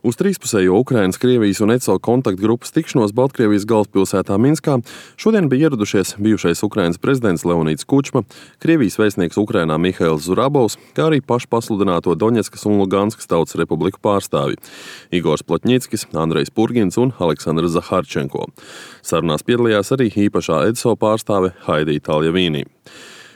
Uz trīspusējo Ukrainas, Krievijas un ECO kontaktgrupas tikšanos Baltkrievijas galvaspilsētā Minskā šodien bija ieradušies bijušais Ukrainas prezidents Leonīds Kučma, Krievijas vēstnieks Ukrainā Mihails Zurabovs, kā arī pašpasludināto Doņetskas un Luganskas tautas republiku pārstāvji Igors Plotņickis, Andrejs Purgins un Aleksandrs Zaharčenko. Sarunās piedalījās arī īpašā ECO pārstāve Haidī Taljavīnī.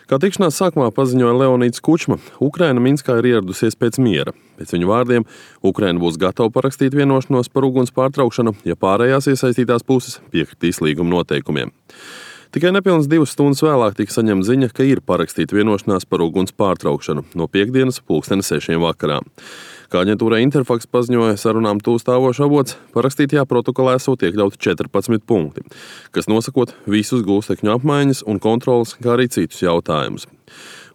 Kā tikšanās sākumā paziņoja Leonīds Kučma, Ukraina Minskā ir ieradusies pēc miera. Pēc viņu vārdiem, Ukraina būs gatava parakstīt vienošanos par uguns pārtraukšanu, ja pārējās iesaistītās puses piekritīs līguma noteikumiem. Tikai nepilnas 2 stundas vēlāk tika saņemta ziņa, ka ir parakstīta vienošanās par uguns pārtraukšanu no piektdienas 6:00 vakarā. Kā aģentūrai Interfax paziņoja sarunām tūstāvošs avots, parakstītajā protokolā esot iekļauti 14 punkti, kas nosakot visus gūstekņu apmaiņas un kontrolas, kā arī citus jautājumus.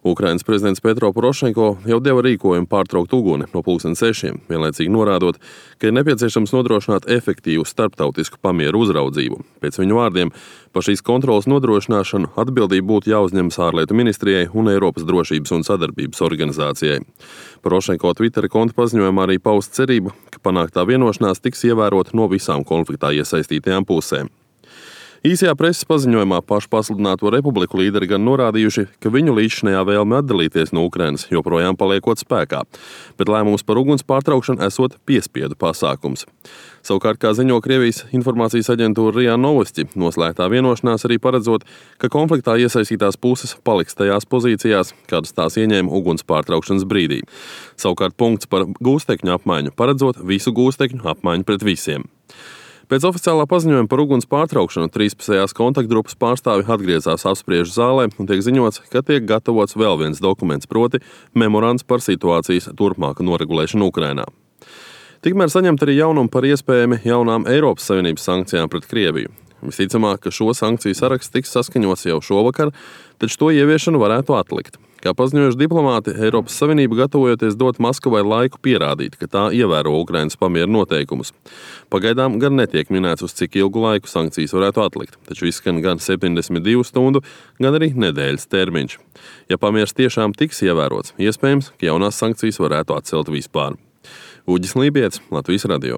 Ukrainas prezidents Petro Porošenko jau deva rīkojumu pārtraukt uguni no 6:00, vienlaicīgi norādot, ka ir nepieciešams nodrošināt efektīvu starptautisku pamieru uzraudzību. Pēc viņu vārdiem, par šīs kontrolas nodrošināšanu atbildība būtu jāuzņemas ārlietu ministrijai un Eiropas drošības un sadarbības organizācijai. Porošenko Twitter konta paziņojumā arī pausta cerību, ka panāktā vienošanās tiks ievērota no visām konfliktā iesaistītajām pusēm. Īsajā preses paziņojumā pašpasludināto republiku līderi gan norādījuši, ka viņu līdzšinējā vēlme atdalīties no Ukrainas joprojām paliekot spēkā, bet lēmums par uguns pārtraukšanu esot piespiedu pasākums. Savukārt, kā ziņo Krievijas informācijas aģentūra RIA Novosti, noslēgtā vienošanās arī paredzot, ka konfliktā iesaistītās puses paliks tajās pozīcijās, kādas tās ieņēma uguns pārtraukšanas brīdī. Savukārt punkts par gūstekņu apmaiņu paredzot visu gūstekņu apmaiņu pret visiem. Pēc oficiālā paziņojuma par uguns pārtraukšanu trīspusējās kontaktgrupas pārstāvi atgriezās apspriežu zālē un tiek ziņots, ka tiek gatavots vēl viens dokuments, proti memorands par situācijas turpmāku noregulēšanu Ukrainā. Tikmēr saņemt arī jaunumu par iespējami jaunām Eiropas Savienības sankcijām pret Krieviju. Visticamāk, ka šo sankciju saraksts tiks saskaņots jau šovakar, taču to ieviešanu varētu atlikt. Kā paziņojuši diplomāti, Eiropas Savienība gatavojoties dot Maskavai laiku pierādīt, ka tā ievēro Ukrainas pamieru noteikumus. Pagaidām gan netiek minēts, uz cik ilgu laiku sankcijas varētu atlikt, taču izskan gan 72 stundu, gan arī nedēļas termiņš. Ja pamieris tiešām tiks ievērots, iespējams, ka jaunās sankcijas varētu atcelt vispār. Uģis Lībijets, Latvijas radio.